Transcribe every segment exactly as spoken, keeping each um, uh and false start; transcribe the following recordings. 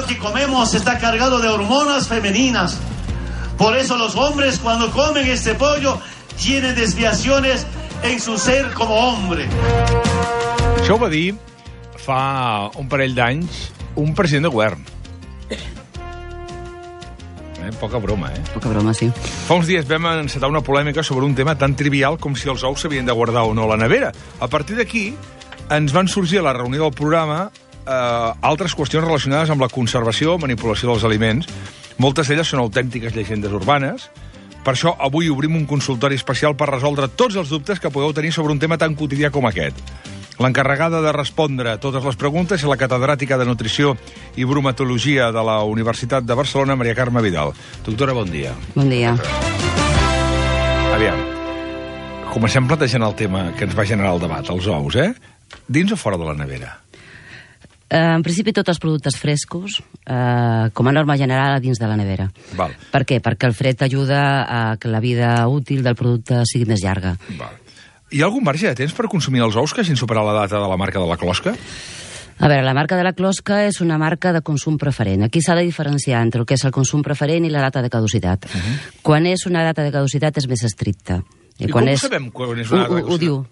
pollo que comemos está cargado de hormonas femeninas. Por eso los hombres cuando comen este pollo tienen desviaciones en su ser como hombre. Això ho va dir fa un parell d'anys un president de govern. Eh, poca broma, eh? Poca broma, sí. Fa uns dies vam encetar una polèmica sobre un tema tan trivial com si els ous s'havien de guardar o no a la nevera. A partir d'aquí ens van sorgir a la reunió del programa eh, altres qüestions relacionades amb la conservació, manipulació dels aliments. Moltes d'elles són autèntiques llegendes urbanes. Per això, avui obrim un consultori especial per resoldre tots els dubtes que podeu tenir sobre un tema tan quotidià com aquest. L'encarregada de respondre a totes les preguntes és la catedràtica de Nutrició i Bromatologia de la Universitat de Barcelona, Maria Carme Vidal. Doctora, bon dia. Bon dia. Aviam, comencem plantejant el tema que ens va generar el debat, els ous, eh? Dins o fora de la nevera? Uh, en principi, tots els productes frescos, uh, com a norma general, dins de la nevera. Val. Per què? Perquè el fred ajuda a que la vida útil del producte sigui més llarga. Val. Hi ha algun marge de temps per consumir els ous que hagin superat la data de la marca de la closca? A veure, la marca de la closca és una marca de consum preferent. Aquí s'ha de diferenciar entre el que és el consum preferent i la data de caducitat. Uh -huh. Quan és una data de caducitat és més estricta. I, I quan com és... sabem quan és una data de caducitat? Ho, ho diu.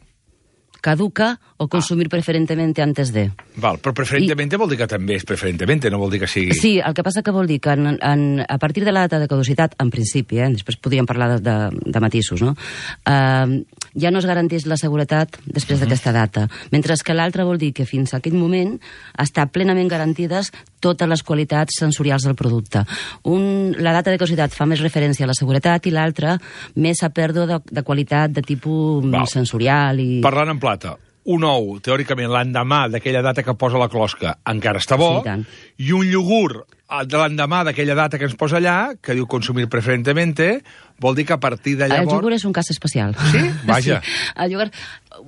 Caduca o consumir ah. preferentemente antes de. Val, però preferentemente I... vol dir que també és preferentemente, no vol dir que sigui... Sí, el que passa que vol dir que en, en, a partir de la data de caducitat, en principi, eh, després podríem parlar de, de, de matisos, no? Uh, ja no es garanteix la seguretat després uh -huh. d'aquesta data, mentre que l'altre vol dir que fins a aquell moment està plenament garantides totes les qualitats sensorials del producte. Un, la data de caducitat fa més referència a la seguretat i l'altra més a pèrdua de, de qualitat de tipus Val. sensorial i... Parlant en plata, un ou, teòricament, l'endemà d'aquella data que posa la closca encara està bo, sí, i un iogurt de l'endemà d'aquella data que ens posa allà, que diu consumir preferentemente, vol dir que a partir de llavors... El iogurt és un cas especial. Sí? Vaja. Sí. El iogurt...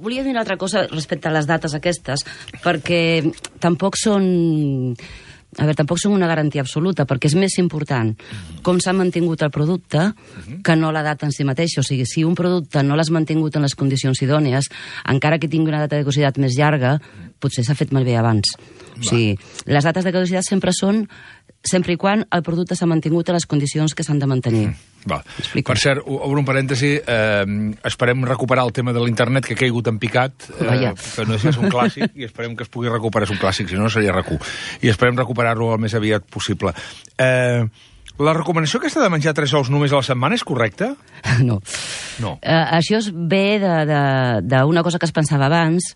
Volia dir una altra cosa respecte a les dates aquestes, perquè tampoc són... A veure, tampoc són una garantia absoluta, perquè és més important com s'ha mantingut el producte que no la data en si mateixa. O sigui, si un producte no l'has mantingut en les condicions idònies, encara que tingui una data de caducitat més llarga, potser s'ha fet malbé abans. O sigui, les dates de caducitat sempre són sempre i quan el producte s'ha mantingut en les condicions que s'han de mantenir. Mm. Va. Per cert, obro un parèntesi, eh, esperem recuperar el tema de l'internet que ha caigut en picat, eh, que no és un clàssic, i esperem que es pugui recuperar, és un clàssic, si no, no seria RAC u, i esperem recuperar-lo el més aviat possible. Eh, la recomanació aquesta de menjar tres ous només a la setmana és correcta? No. No. Eh, això es ve d'una cosa que es pensava abans,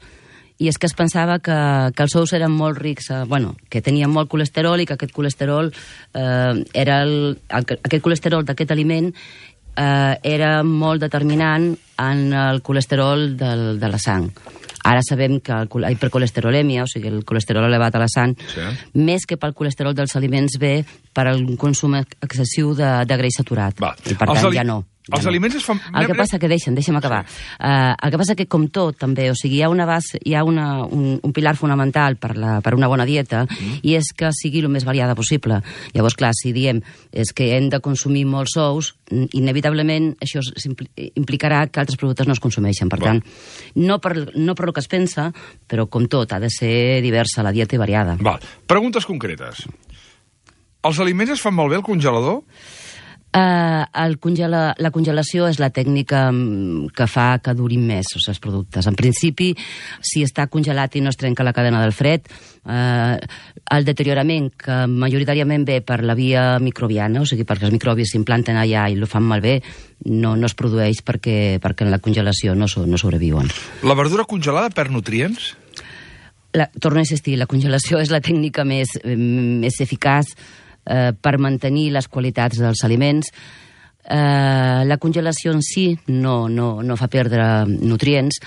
i és que es pensava que, que els ous eren molt rics, eh, bueno, que tenien molt colesterol i que aquest colesterol eh, era el, el, aquest colesterol d'aquest aliment eh, era molt determinant en el colesterol del, de la sang. Ara sabem que el, la hipercolesterolèmia, o sigui, el colesterol elevat a la sang, sí. més que pel colesterol dels aliments ve per un consum excessiu de, de greix saturat. Va. I per tant ja no. Ja els no. aliments es fan... El que passa que, deixa'm, deixa'm acabar. Sí. Uh, el que passa que, com tot, també, o sigui, hi ha, una base, hi ha una, un, un pilar fonamental per, la, per una bona dieta, mm. i és que sigui el més variada possible. Llavors, clar, si diem és que hem de consumir molts ous, inevitablement això implicarà que altres productes no es consumeixen. Per Va. tant, no per, no per el que es pensa, però, com tot, ha de ser diversa la dieta i variada. Val. Preguntes concretes. Els aliments es fan malbé al congelador? Uh, el congela, la congelació és la tècnica que fa que durin més els seus productes. En principi, si està congelat i no es trenca la cadena del fred, uh, el deteriorament, que majoritàriament ve per la via microbiana, o sigui, perquè els microbis s'implanten allà i ho fan malbé, no, no es produeix perquè, perquè en la congelació no, so, no sobreviuen. La verdura congelada perd nutrients? La, torno a insistir, la congelació és la tècnica més, més eficaç Eh, per mantenir les qualitats dels aliments. Eh, la congelació en si no, no, no fa perdre nutrients.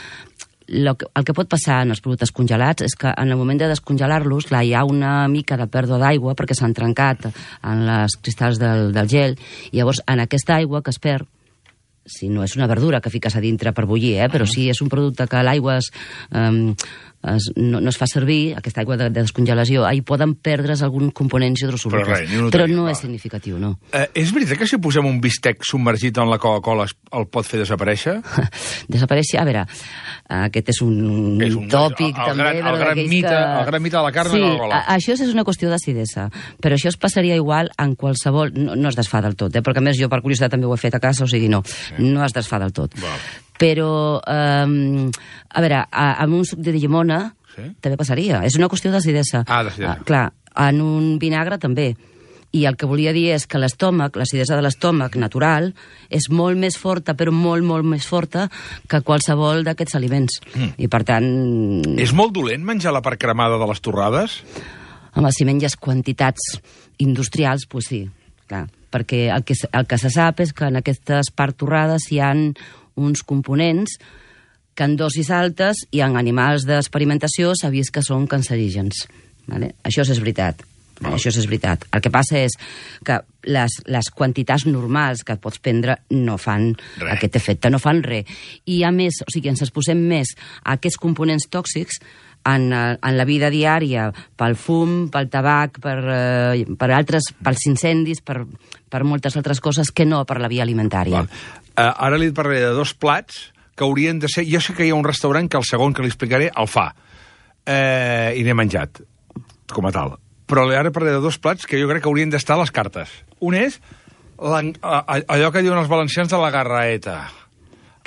Lo que, el que pot passar en els productes congelats és que en el moment de descongelar-los, clar, hi ha una mica de pèrdua d'aigua perquè s'han trencat en les cristalls del, del gel, i llavors en aquesta aigua que es perd, si no és una verdura que fiques a dintre per bullir, eh, però si és un producte que l'aigua es... Eh, es, no, no es fa servir, aquesta aigua de, de descongelació, hi poden perdre's alguns components hidrosolubles. Però, res, no, però no va. és significatiu, no. Eh, és veritat que si posem un bistec submergit en la Coca-Cola el pot fer desaparèixer? Desaparèixer, a veure, aquest és un, és un tòpic, el, el també. Gran, el, gran mite, que... el gran mite de la carn sí, i la gola. Això és una qüestió d'acidesa, però això es passaria igual en qualsevol... No, no es desfà del tot, eh? Perquè a més jo per curiositat també ho he fet a casa, o sigui, no, sí. no es desfà del tot. Val. Però, eh, a veure, a, amb un suc de llimona sí? també passaria. És una qüestió d'acidesa. Ah, d'acidesa. Ah, clar, en un vinagre també. I el que volia dir és que l'estómac, l'acidesa de l'estómac natural, és molt més forta, però molt, molt més forta que qualsevol d'aquests aliments. Mm. I, per tant... És molt dolent menjar la part cremada de les torrades? Home, si menges quantitats industrials, doncs pues sí, clar. Perquè el que, el que se sap és que en aquestes parts torrades hi ha uns components que en dosis altes i en animals d'experimentació s'ha vist que són cancerígens. Vale? Això és veritat. Oh. Això és veritat. El que passa és que les, les quantitats normals que pots prendre no fan re. Aquest efecte, no fan res. I a més, o sigui, ens exposem més a aquests components tòxics en, en la vida diària, pel fum, pel tabac, per, eh, per altres, pels incendis, per, per moltes altres coses que no per la via alimentària. Uh, ara li parlaré de dos plats que haurien de ser... Jo sé que hi ha un restaurant que el segon que li explicaré el fa. Eh, I n'he menjat, com a tal. Però ara parlaré de dos plats que jo crec que haurien d'estar a les cartes. Un és allò que diuen els valencians de la garraeta.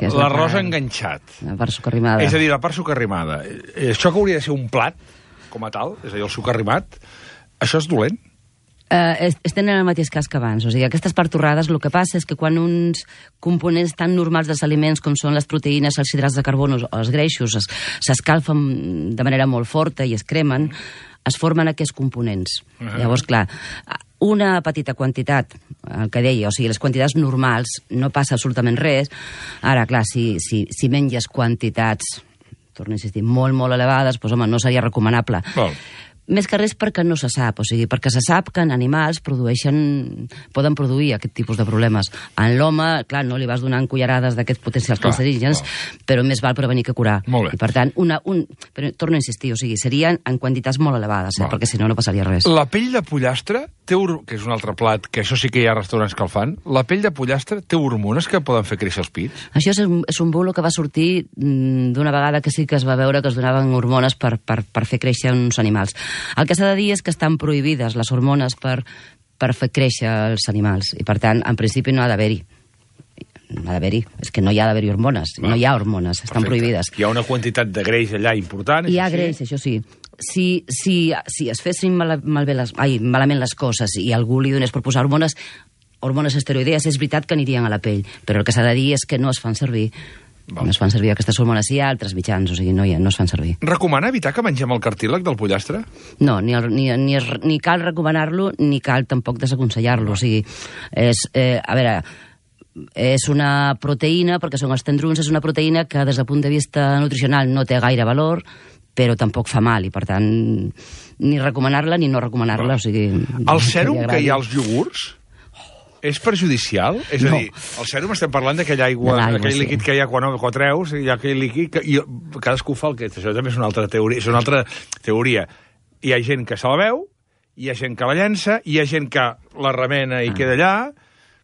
L'arròs enganxat. La part socarrimada. És a dir, la part socarrimada. Això que hauria de ser un plat, com a tal, és a dir, el socarrimat, això és dolent? Uh, estem en el mateix cas que abans. O sigui, aquestes parts torrades, el que passa és que quan uns components tan normals dels aliments com són les proteïnes, els hidrats de carboni o els greixos s'escalfen de manera molt forta i es cremen, es formen aquests components. Uh -huh. Llavors, clar, una petita quantitat, el que deia, o sigui, les quantitats normals, no passa absolutament res. Ara, clar, si, si, si menges quantitats, torno a insistir, molt, molt elevades, doncs, home, no seria recomanable. Val. Més que res perquè no se sap, o sigui, perquè se sap que en animals produeixen, poden produir aquest tipus de problemes. En l'home, clar, no li vas donant cullerades d'aquests potencials cancerígens, però més val prevenir que curar. I per tant, una, un, però torno a insistir, o sigui, serien en quantitats molt elevades, eh, perquè si no, no passaria res. La pell de pollastre, té que és un altre plat, que això sí que hi ha restaurants que el fan, la pell de pollastre té hormones que poden fer créixer els pits? Això és un, és un bulo que va sortir d'una vegada que sí que es va veure que es donaven hormones per, per, per fer créixer uns animals. El que s'ha de dir és que estan prohibides les hormones per, per fer créixer els animals i, per tant, en principi no ha d'haver-hi. No ha d'haver-hi. És que no hi ha d'haver-hi hormones. Va. No hi ha hormones, estan Perfecte. Prohibides. Hi ha una quantitat de greix allà important. Hi ha greix, això sí. Si, si, si es fessin mal, malbé les, ai, malament les coses i algú li donés per posar hormones, hormones esteroidees, és veritat que anirien a la pell, però el que s'ha de dir és que no es fan servir. Val. No es fan servir aquestes hormones, hi ha altres mitjans, o sigui, no, hi ha, no es fan servir. Recomana evitar que mengem el cartílag del pollastre? No, ni, el, ni, ni, ni cal recomanar-lo, ni cal tampoc desaconsellar-lo. O sigui, és, eh, a veure, és una proteïna, perquè són els tendrons, és una proteïna que des del punt de vista nutricional no té gaire valor, però tampoc fa mal, i per tant, ni recomanar-la ni no recomanar-la. O sigui, el sèrum que hi ha als iogurts és perjudicial? És a no. dir, el sèrum estem parlant d'aquella aigua, d'aquell sí. líquid que hi ha quan ho treus, hi ha aquell líquid que i cadascú fa el que... Això també és una altra teoria. És una altra teoria. Hi ha gent que se la veu, hi ha gent que la llença, hi ha gent que la remena i ah. queda allà,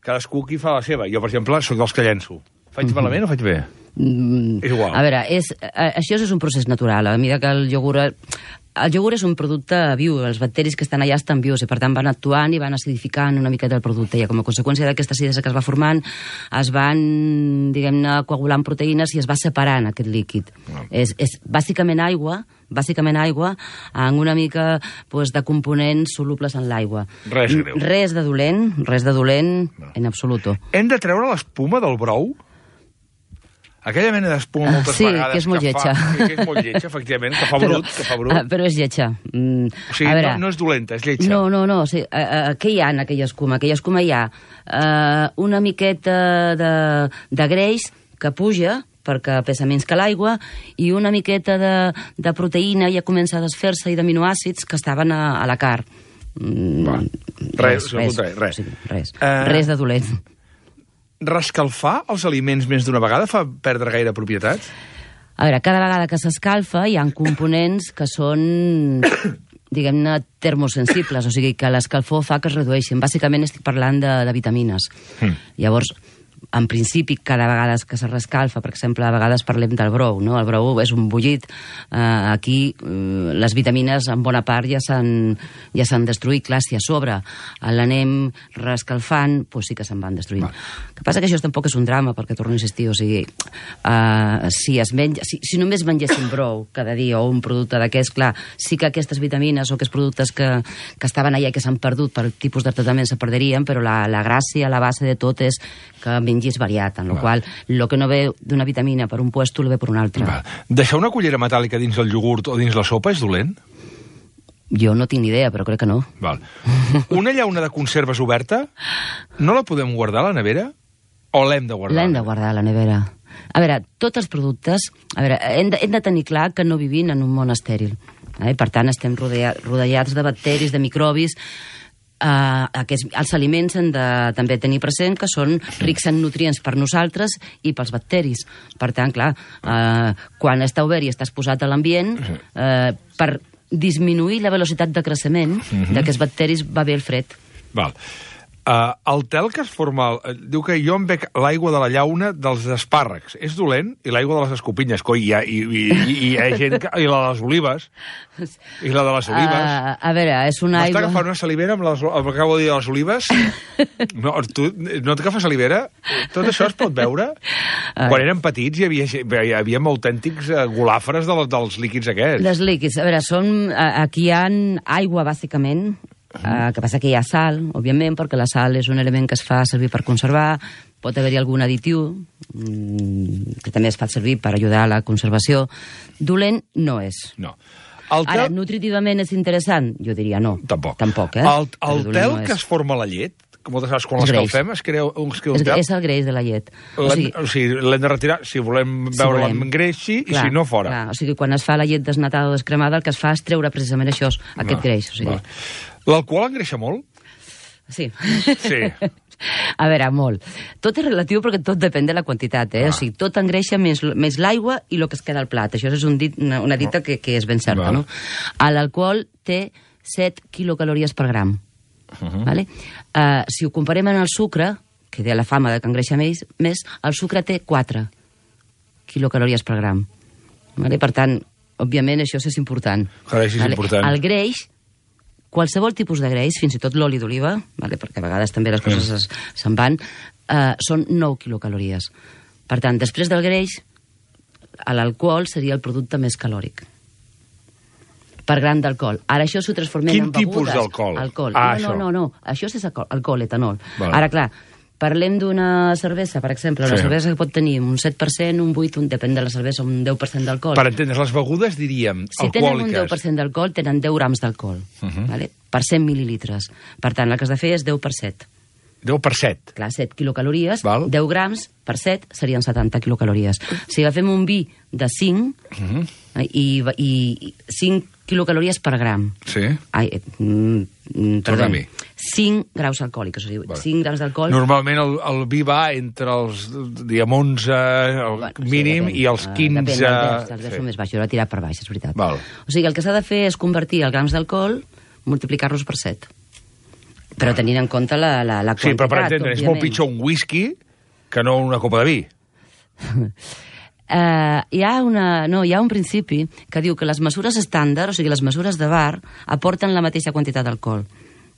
cadascú qui fa la seva. Jo, per exemple, sóc dels que llenço. Faig mm-hmm. malament o faig bé? Mm, és igual. A veure, és, això és un procés natural. A mesura que el iogurt... El iogurt és un producte viu, els bacteris que estan allà estan vius i per tant van actuant i van acidificant una miqueta el producte i com a conseqüència d'aquesta acidesa que es va formant es van, diguem-ne, coagulant proteïnes i es va separant aquest líquid. No. És, és bàsicament aigua, bàsicament aigua amb una mica pues, de components solubles en l'aigua. Res greu. Res de dolent, res de dolent no. en absoluto. Hem de treure l'espuma del brou? Aquella mena d'espuma moltes sí, vegades... Sí, que és molt que lletja. Fa, que és molt lletja, efectivament, que fa brut. Que fa brut. Uh, però és lletja. Mm, o sigui, veure, no, no és dolenta, és lletja. No, no, no. O sigui, uh, uh, què hi ha en aquella escuma? En aquella escuma hi ha uh, una miqueta de, de greix que puja, perquè pesa menys que l'aigua, i una miqueta de, de proteïna ja comença a desfer-se i d'aminoàcids que estaven a, a la carn. Mm, res, res, res, res. res. O sigui, res. Uh... res de dolent. Rescalfar els aliments més d'una vegada fa perdre gaire propietats? A veure, cada vegada que s'escalfa hi ha components que són, diguem-ne, termosensibles, o sigui que l'escalfor fa que es redueixin. Bàsicament estic parlant de, de vitamines. Mm. Llavors, en principi, cada vegada que se rescalfa, per exemple, a vegades parlem del brou, no? El brou és un bullit. Uh, aquí uh, les vitamines, en bona part, ja s'han ja s'han destruït. Clar, si a sobre l'anem rescalfant, doncs sí que se'n van destruint. Va. El que passa que això tampoc és un drama, perquè torno a insistir, o sigui, uh, si, es menja, si, si només mengéssim brou cada dia o un producte d'aquests, clar, sí que aquestes vitamines o aquests productes que, que estaven allà i que s'han perdut per tipus de tractament se perderien, però la, la gràcia, la base de tot és que mengis variat, en la qual el que no ve d'una vitamina per un puesto lo ve per un altre. Va. Deixar una cullera metàl·lica dins el iogurt o dins la sopa és dolent? Jo no tinc ni idea, però crec que no. Val. Una llauna de conserves oberta, no la podem guardar a la nevera? O l'hem de guardar? L'hem de guardar a la nevera. A veure, tots els productes... A veure, hem de, hem de tenir clar que no vivim en un món estèril. Eh? Per tant, estem rodejats de bacteris, de microbis... Uh, aquests, els aliments han de també tenir present que són rics en nutrients per nosaltres i pels bacteris. Per tant, clar, uh, quan està obert i estàs posat a l'ambient, uh, per disminuir la velocitat de creixement uh-huh. d'aquests bacteris va bé el fred. Val. Uh, el tel que es forma... Uh, diu que jo em bec l'aigua de la llauna dels espàrrecs. És dolent? I l'aigua de les escopinyes. Coi, hi ha, i, i, i, i hi ha gent que... I la de les olives. I la de les olives. Uh, a veure, és una aigua... M'està agafant una salivera amb, les, amb el que acabo de dir de les olives? No, tu, no t'agafa salivera? Tot això es pot veure? Quan érem petits hi havia, hi havia autèntics golàfres de, dels líquids aquests. Les líquids, a veure, són... Aquí hi ha aigua, bàsicament. Uh, que passa que hi ha sal, òbviament, perquè la sal és un element que es fa servir per conservar, pot haver-hi algun additiu mmm, que també es fa servir per ajudar a la conservació. Dolent no és. No. El tel... Ara, nutritivament és interessant? Jo diria no. Tampoc. Tampoc, eh? El, el tel no que es forma a la llet, que moltes vegades quan l'escalfem es crea un, es crea un és, tel. És el greix de la llet. O sigui, o sigui, l'hem de retirar si volem si veure l'engreixi i si no, fora. Clar. O sigui, quan es fa la llet desnatada o descremada, el que es fa és treure precisament això, aquest va, greix. O sigui. L'alcohol engreixa molt? Sí. Sí. A veure, molt. Tot és relatiu perquè tot depèn de la quantitat, eh? Ah. O sigui, tot engreixa més, més l'aigua i el que es queda al plat. Això és un dit, una, una dita que, que és ben certa, no? L'alcohol té set quilocalories per gram. Uh-huh. Vale? Uh, si ho comparem amb el sucre, que té la fama de que engreixa més, més, el sucre té quatre quilocalories per gram. Vale? Per tant, òbviament, això és important. Greix és vale? important. El greix, qualsevol tipus de greix, fins i tot l'oli d'oliva, vale? Perquè a vegades també les coses mm. se'n van, uh, són nou quilocalories. Per tant, després del greix, l'alcohol seria el producte més calòric. Per gram d'alcohol. Ara això s'ho transformem Quin en begudes. Quin tipus d'alcohol? Alcohol. Ah, no, no, no, no, això és alcohol, alcohol etanol. Vale. Ara, clar, parlem d'una cervesa, per exemple, una sí. cervesa que pot tenir un set per cent, un vuit per cent, un, depèn de la cervesa, un deu per cent d'alcohol. Per entendre's, les begudes, diríem, si alcohòliques. Si tenen un deu per cent d'alcohol, tenen deu grams d'alcohol, uh-huh. vale? Per cent mil·lilitres. Per tant, el que has de fer és deu per set. deu per set? Clar, set quilocalories, Val. deu grams per set serien setanta quilocalories. Si agafem un vi de cinc, uh-huh. i, i, i cinc quilocalories per gram. Sí. Ai, mm, perdó, cinc graus alcohòlics, o sigui, vale. cinc grams d'alcohol... Normalment el, el vi va entre els, diguem, onze, el bueno, mínim, sí, i els quinze... Depèn, els deu, els deu sí. són més baix, jo l'he tirat per baix, és veritat. Val. O sigui, el que s'ha de fer és convertir els grams d'alcohol, multiplicar-los per set. Però tenint en compte la, la, la quantitat, sí, però per entendre, òbviament. És molt pitjor un whisky que no una copa de vi. Uh, hi ha una, no, hi ha un principi que diu que les mesures estàndard, o sigui, les mesures de bar, aporten la mateixa quantitat d'alcohol.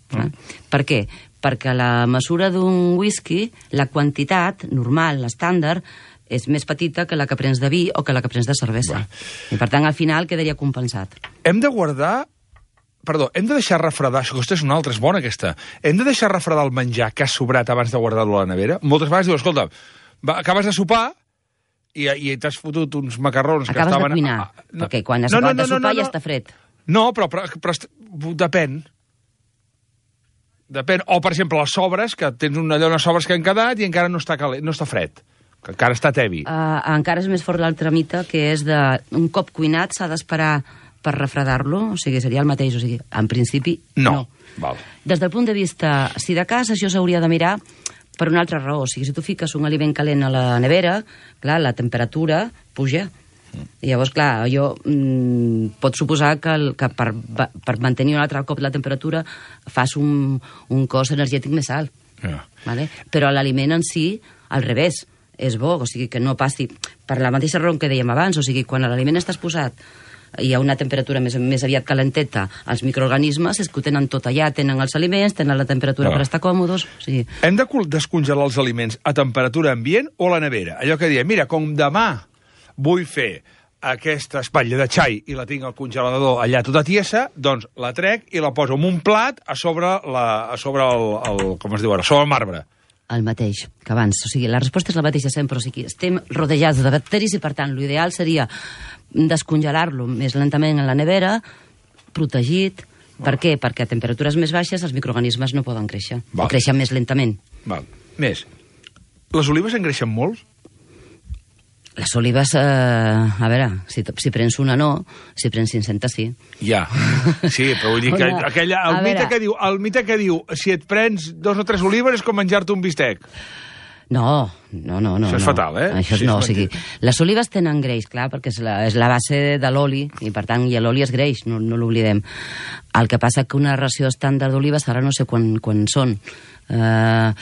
Mm. Eh? Per què? Perquè la mesura d'un whisky, la quantitat normal, l'estàndard, és més petita que la que prens de vi o que la que prens de cervesa. Va. I per tant, al final, quedaria compensat. Hem de guardar... Perdó, hem de deixar refredar... Aquesta és una altra, és bona, aquesta. Hem de deixar refredar el menjar que ha sobrat abans de guardar-lo a la nevera? Moltes vegades diu, escolta, va, acabes de sopar i, i t'has fotut uns macarrons acabes que estaven... Acabes de cuinar, ah, no. perquè quan has no, acabat no, no, de sopar no, no, ja no. està fred. No, però, però, però depèn. Depèn. O, per exemple, les sobres, que tens una allò, unes sobres que han quedat i encara no està, calent, no està fred, que encara està tebi. Uh, encara és més fort l'altre mite, que és de un cop cuinat s'ha d'esperar per refredar-lo, o sigui, seria el mateix, o sigui, en principi, no. no. Val. Des del punt de vista, si de cas, això s'hauria de mirar per una altra raó, o sigui, si tu fiques un aliment calent a la nevera, clar, la temperatura puja, I llavors, clar, jo mm, pot suposar que, el, que per, per mantenir un altre cop la temperatura fas un, un cos energètic més alt. Yeah. Vale? Però l'aliment en si, al revés, és bo, o sigui, que no passi per la mateixa raó que dèiem abans, o sigui, quan l'aliment està exposat hi ha una temperatura més, més aviat calenteta, els microorganismes és que ho tenen tot allà, tenen els aliments, tenen la temperatura Ah. per estar còmodes. O sigui, Hem de col- descongelar els aliments a temperatura ambient o a la nevera? Allò que diem, mira, com demà vull fer aquesta espatlla de xai i la tinc al congelador allà tota tiesa, doncs la trec i la poso en un plat a sobre, la, a sobre el, el, com es diu ara, sobre el marbre. el mateix que abans. O sigui, la resposta és la mateixa sempre. O sigui, estem rodejats de bacteris i, per tant, l'ideal seria descongelar-lo més lentament en la nevera, protegit. Per què? Perquè a temperatures més baixes els microorganismes no poden créixer. Val. O creixen més lentament. Val. Més, les olives engreixen molt? Les olives, eh, a veure, si, si prens una no, si prens cinc-centes sí. Ja, sí, però vull dir que Una- aquella, el, a mite veure. que diu, el mite que diu si et prens dos o tres olives és com menjar-te un bistec. No, no, no. no Això és no. fatal, eh? Això és, Sí, no, és o sigui, les olives tenen greix, clar, perquè és la, és la base de l'oli, i per tant, i l'oli és greix, no, no l'oblidem. El que passa que una ració estàndard d'olives, ara no sé quan, quan són, eh,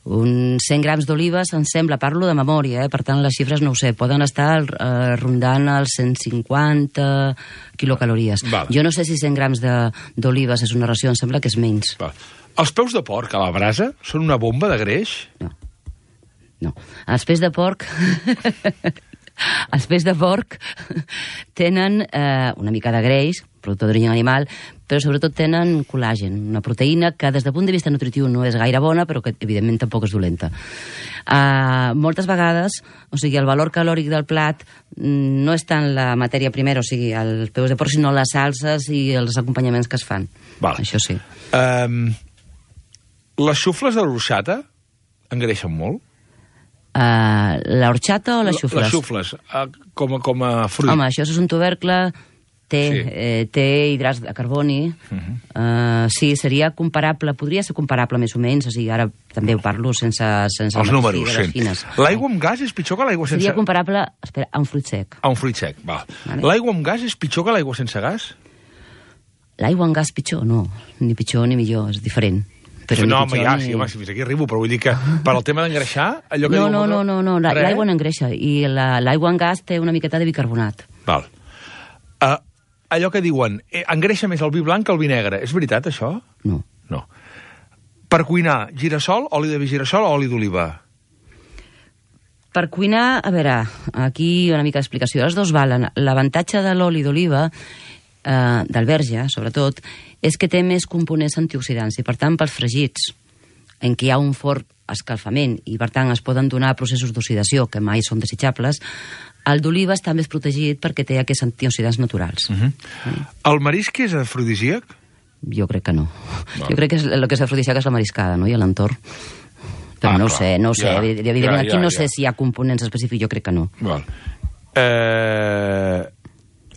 uns cent grams d'olives, em sembla, parlo de memòria, eh? Per tant, les xifres no ho sé, poden estar eh, rondant els cent cinquanta quilocalories. Val. Jo no sé si cent grams de- d'olives és una ració, em sembla que és menys. Va. Els peus de porc a la brasa són una bomba de greix? No. No. Els peix de porc... els peix de porc tenen eh, una mica de greix, producte d'origen animal, però sobretot tenen col·làgen, una proteïna que des del punt de vista nutritiu no és gaire bona, però que evidentment tampoc és dolenta. Uh, moltes vegades, o sigui, el valor calòric del plat mm, no és tant la matèria primera, o sigui, els peus de porc, sinó les salses i els acompanyaments que es fan. Val. Això sí. Um, les xufles de l'orxata engreixen molt? Uh, l'orxata o les xufles? Les xufles, uh, com, a, com a fruit. Home, això és un tubercle, té, Sí. sí. eh, té hidrats de carboni, uh -huh. uh, sí, seria comparable, podria ser comparable més o menys, o sigui, ara també ho parlo sense... sense Els números, figues sí. fines. L'aigua amb gas és pitjor que l'aigua sense... Seria comparable, espera, a un fruit sec. A un fruit sec, val. Vale. L'aigua amb gas és pitjor que l'aigua sense gas? L'aigua en gas pitjor? No, ni pitjor ni millor, és diferent. Però no, ni home, pitjor ja, ni... sí, home, si fins aquí arribo, però vull dir que per al tema d'engreixar, allò que No, diu... no, no, no, no, la- Res? l'aigua no engreixa, i la- l'aigua en gas té una miqueta de bicarbonat. Val. Uh, allò que diuen, eh, engreixa més el vi blanc que el vi negre. És veritat, això? No. No. Per cuinar, girassol, oli de girassol o oli d'oliva? Per cuinar, a veure, aquí una mica d'explicació. Els dos valen. L'avantatge de l'oli d'oliva, eh, del verge, sobretot, és que té més components antioxidants i, per tant, pels fregits, en què hi ha un fort escalfament i, per tant, es poden donar processos d'oxidació que mai són desitjables, el d'oliva està més protegit perquè té aquests antioxidants naturals. Uh -huh. El marisc és afrodisíac? Jo crec que no. Val. Jo crec que és, el que és afrodisíac és la mariscada, no?, i l'entorn. Però Ah, no ho clar. sé, no ho sé. Ja, Evidentment, ja, aquí ja, no ja. sé si hi ha components específics, jo crec que no. Val. Eh...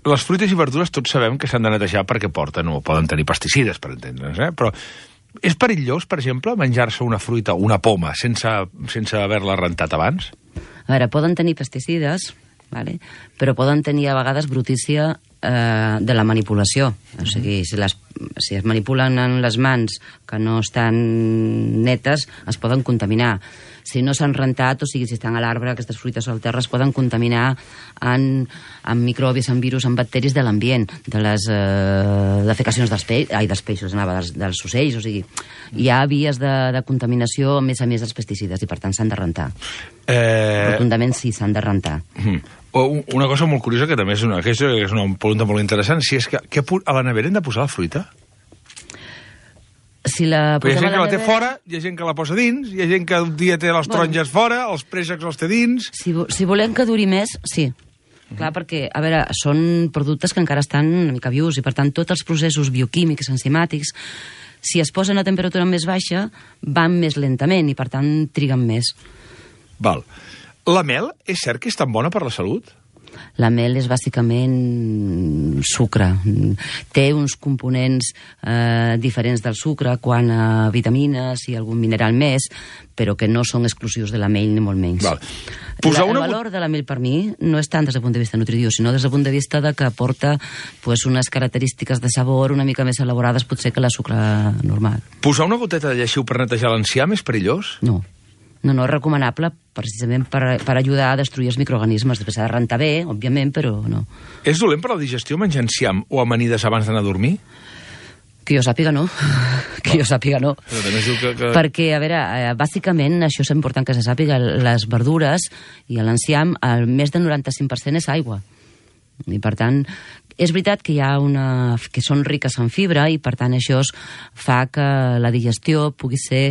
Les fruites i verdures tots sabem que s'han de netejar perquè porten o poden tenir pesticides, per entendre'ns, eh? Però és perillós, per exemple, menjar-se una fruita o una poma sense, sense haver-la rentat abans? A veure, poden tenir pesticides, vale? Però poden tenir a vegades brutícia eh, de la manipulació. O sigui, si, les, si es manipulen en les mans que no estan netes, es poden contaminar. Si no s'han rentat, o sigui, si estan a l'arbre, aquestes fruites o al terra es poden contaminar en, en microbis, en virus, en bacteris de l'ambient, de les eh, defecacions dels, pe ai, dels peixos, anava, dels, dels ocells, o sigui, hi ha vies de, de contaminació a més a més dels pesticides i per tant s'han de rentar. Eh... Rotundament sí, s'han de rentar. Mm. O un- una cosa molt curiosa, que també és una, que és és una pregunta molt interessant, si és que, que a la nevera hem de posar la fruita? Si la Però hi ha posem gent que a la té nevera- fora, hi ha gent que la posa dins, hi ha gent que un dia té les Bueno. taronges fora, els préssecs els té dins... Si, vo- si volem que duri més, sí. Clar, perquè, a veure, són productes que encara estan una mica vius i, per tant, tots els processos bioquímics, enzimàtics, si es posen a temperatura més baixa, van més lentament i, per tant, triguen més. Val. La mel és cert que és tan bona per la salut? La mel és bàsicament sucre. Té uns components eh, diferents del sucre quant a vitamines i algun mineral més, però que no són exclusius de la mel, ni molt menys. Val. La, el valor de la mel per mi no és tant des del punt de vista nutritiu, sinó des del punt de vista de que aporta pues, unes característiques de sabor una mica més elaborades potser que la sucre normal. Posar una goteta de lleixiu per netejar l'enciam és perillós? No. No, no, és recomanable precisament per, per ajudar a destruir els microorganismes. Després s'ha de rentar bé, òbviament, però no. És dolent per a la digestió menjar enciam o amanides abans d'anar a dormir? Que jo sàpiga, no. Que jo sàpiga, no. Però també es diu que, que... Perquè, a veure, eh, bàsicament, això és important que se sàpiga, les verdures i l'enciam, el més del noranta-cinc per cent és aigua. I, per tant, és veritat que hi ha una... que són riques en fibra i, per tant, això fa que la digestió pugui ser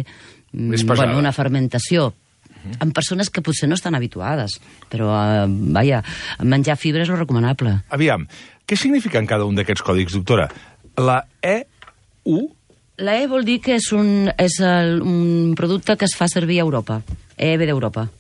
bueno, una fermentació uh-huh. en persones que potser no estan habituades, però, eh, vaja, menjar fibra és lo recomanable. Aviam, què signifiquen cada un d'aquests còdics, doctora? La E U? La E vol dir que és un, és el, un producte que es fa servir a Europa. E ve d'Europa.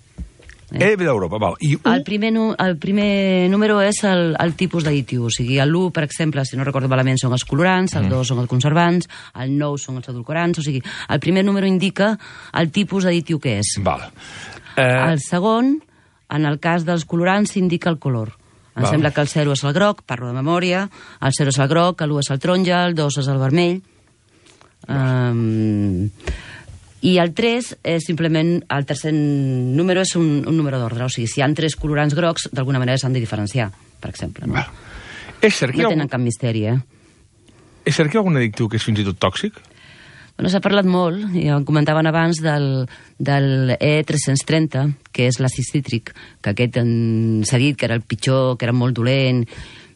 Eh? E ve d'Europa, val. I U? El primer, nu, el primer número és el, el tipus d'additiu. O sigui, l'u, per exemple, si no recordo malament, són els colorants, el dos mm. són els conservants, el nou són els edulcorants, o sigui, el primer número indica el tipus d'additiu que és. Val. Eh... El segon, en el cas dels colorants, s'indica el color. Em val. Sembla que el zero és el groc, parlo de memòria, el zero és el groc, l'u és el taronja, el dos és el vermell. Um, I el tres és simplement, el tercer número és un, un número d'ordre, o sigui, si hi ha tres colorants grocs, d'alguna manera s'han de diferenciar, per exemple. No, és cert que no algun... tenen cap misteri, eh? És cert que hi ha algun addictiu que és fins i tot tòxic? Bueno, s'ha parlat molt, i em comentaven abans del, del E tres-cents trenta, que és l'àcid cítric, que aquest s'ha dit que era el pitjor, que era molt dolent.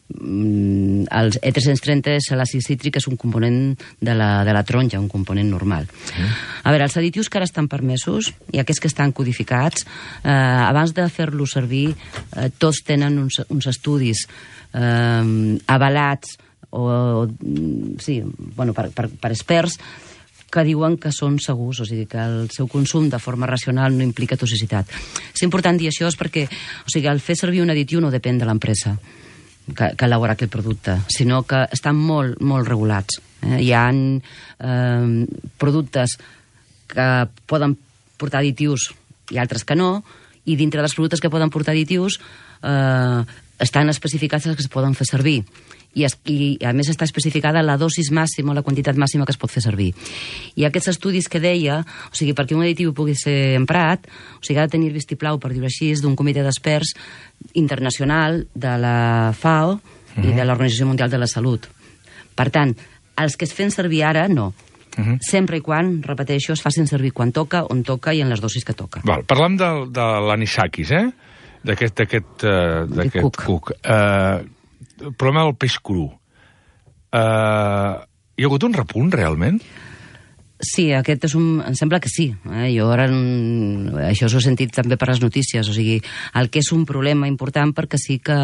El E tres-cents trenta és l'àcid cítric, és un component de la, de la taronja, un component normal. Mm. A veure, els additius que ara estan permesos i aquests que estan codificats, eh, abans de fer-los servir, eh, tots tenen uns, uns estudis eh, avalats o, o sí, bueno, per, per, per experts que diuen que són segurs, o sigui, que el seu consum de forma racional no implica toxicitat. És important dir això perquè, o sigui, el fer servir un additiu no depèn de l'empresa que, que elabora aquell producte, sinó que estan molt, molt regulats. Eh? Hi ha eh, productes que poden portar additius i altres que no, i dintre dels productes que poden portar additius eh, estan especificats els que es poden fer servir. I, es, i a més està especificada la dosis màxima, la quantitat màxima que es pot fer servir. I aquests estudis que deia, o sigui, perquè un additiu pugui ser emprat, o sigui, ha de tenir vistiplau, per dir-ho així, d'un comitè d'experts internacional de la FAO uh-huh. i de l'Organització Mundial de la Salut. Per tant, els que es fan servir ara, no. Uh-huh. Sempre i quan, repeteixo, es facin servir quan toca, on toca i en les dosis que toca. Val, parlam de, de l'anisakis, eh? D'aquest uh, cuc. cuc. Uh, el problema del peix cru. Uh, hi ha hagut un repunt, realment? Sí, aquest és un... Em sembla que sí. Eh? Jo ara... Això s'ho he sentit també per les notícies. O sigui, el que és un problema important perquè sí que...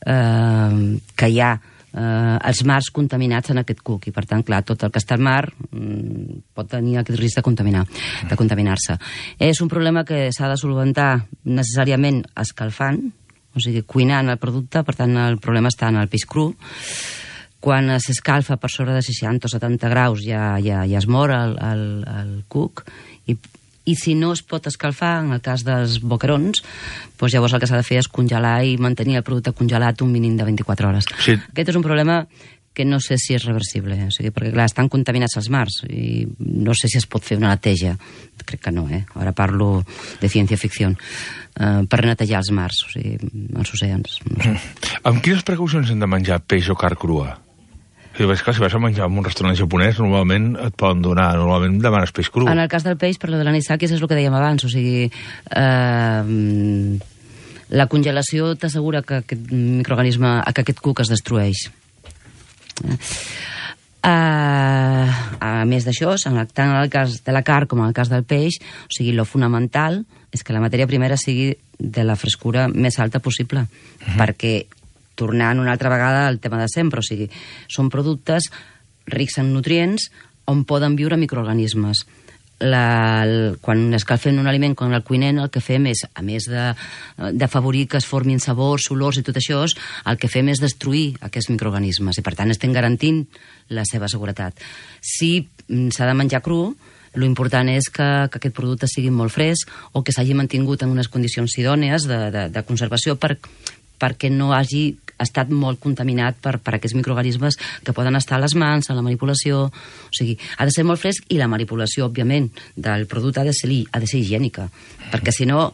Eh, que hi ha eh, els mars contaminats en aquest cuc. I, per tant, clar, tot el que està al mar mm, pot tenir aquest risc de contaminar, de contaminar-se. És un problema que s'ha de solventar necessàriament escalfant, o sigui, cuinant el producte, per tant, el problema està en el peix cru. Quan s'escalfa per sobre de seixanta o setanta graus ja, ja, ja es mor el, el, el cuc, i, i si no es pot escalfar, en el cas dels boquerons, doncs llavors el que s'ha de fer és congelar i mantenir el producte congelat un mínim de vint-i-quatre hores. Sí. Aquest és un problema que no sé si és reversible, o sigui, perquè clar, estan contaminats els mars i no sé si es pot fer una neteja, crec que no, eh? Ara parlo de ciència-ficció, uh, per netejar els mars, o sigui, els oceans. No sé. Amb quines precaucions hem de menjar peix o carn crua? Si ves que si vas a menjar en un restaurant japonès, normalment et poden donar, normalment demanes peix cru. En el cas del peix, per lo de l'anisakis, és el que dèiem abans, o sigui, eh, la congelació t'assegura que aquest microorganisme, que aquest cuc es destrueix. Uh, a més d'això, tant en el cas de la carn com en el cas del peix, o sigui, lo fonamental és que la matèria primera sigui de la frescura més alta possible, uh-huh. perquè, tornant una altra vegada al tema de sempre, o sigui, són productes rics en nutrients on poden viure microorganismes. la, el, quan escalfem un aliment com el cuinent, el que fem és, a més de, d'afavorir que es formin sabors, olors i tot això, el que fem és destruir aquests microorganismes i, per tant, estem garantint la seva seguretat. Si s'ha de menjar cru, l'important és que, que aquest producte sigui molt fresc o que s'hagi mantingut en unes condicions idònies de, de, de conservació per, perquè no hagi estat molt contaminat per, per aquests microorganismes que poden estar a les mans, a la manipulació. O sigui, ha de ser molt fresc i la manipulació, òbviament, del producte ha de ser, ha de ser higiènica. Perquè, si no,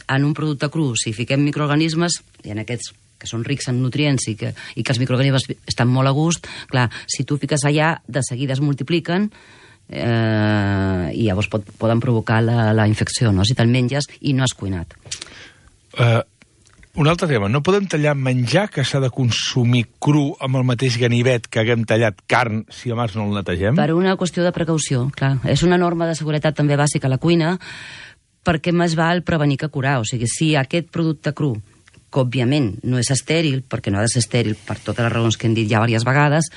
en un producte cru, si fiquem microorganismes, i en aquests que són rics en nutrients i que, i que els microorganismes estan molt a gust, clar, si tu fiques allà, de seguida es multipliquen, eh, i llavors pot, poden provocar la, la infecció, no? Si te'l menges i no has cuinat. Uh, un altre tema, no podem tallar menjar que s'ha de consumir cru amb el mateix ganivet que haguem tallat carn si abans no el netegem? Per una qüestió de precaució, clar. És una norma de seguretat també bàsica a la cuina, perquè més val prevenir que curar. O sigui, si aquest producte cru, que òbviament no és estèril, perquè no ha de ser estèril per totes les raons que hem dit ja diverses vegades,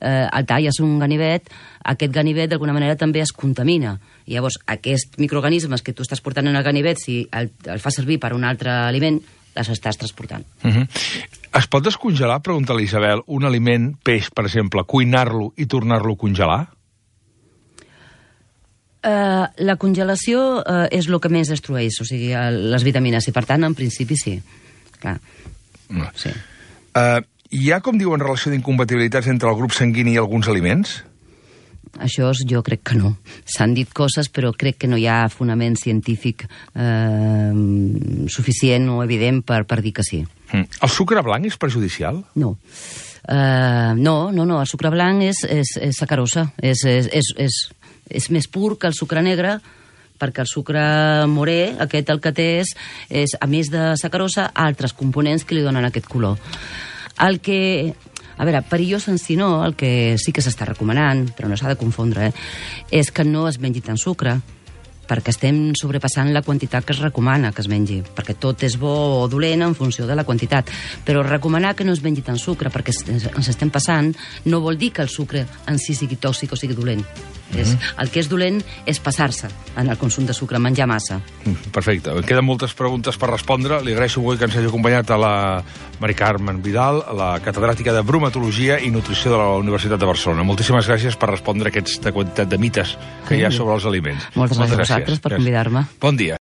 eh, el talles un ganivet, aquest ganivet d'alguna manera també es contamina. I llavors aquests microorganismes que tu estàs portant en el ganivet, si el, el fa servir per un altre aliment, les estàs transportant. Uh -huh. Es pot descongelar, pregunta l'Isabel, un aliment, peix, per exemple, cuinar-lo i tornar-lo a congelar? Uh, la congelació uh, és el que més destrueix, o sigui, uh, les vitamines, i per tant, en principi sí. Clar. No. Sí. Uh, hi ha, com diuen, relació d'incompatibilitats entre el grup sanguini i alguns aliments? Això jo crec que no. S'han dit coses, però crec que no hi ha fonament científic eh, suficient o evident per, per dir que sí. Mm. El sucre blanc és perjudicial? No. Uh, no, no, no. El sucre blanc és, és, és sacarosa. És, és, és, és, és més pur que el sucre negre, perquè el sucre morè, aquest el que té és, és a més de sacarosa, altres components que li donen aquest color. El que... A veure, perillós en si no, el que sí que s'està recomanant, però no s'ha de confondre, eh, és que no es mengi tant sucre, perquè estem sobrepassant la quantitat que es recomana que es mengi, perquè tot és bo o dolent en funció de la quantitat. Però recomanar que no es mengi tant sucre, perquè ens estem passant, no vol dir que el sucre en si sigui tòxic o sigui dolent. Mm-hmm. És, el que és dolent és passar-se en el consum de sucre, menjar massa. Perfecte. Em queden moltes preguntes per respondre. Li agraeixo avui que ens hagi acompanyat a la Mari Carmen Vidal, la catedràtica de bromatologia i nutrició de la Universitat de Barcelona. Moltíssimes gràcies per respondre aquesta quantitat de mites que hi ha sobre els aliments. Moltes, Moltes gràcies a vosaltres per convidar-me. Bon dia.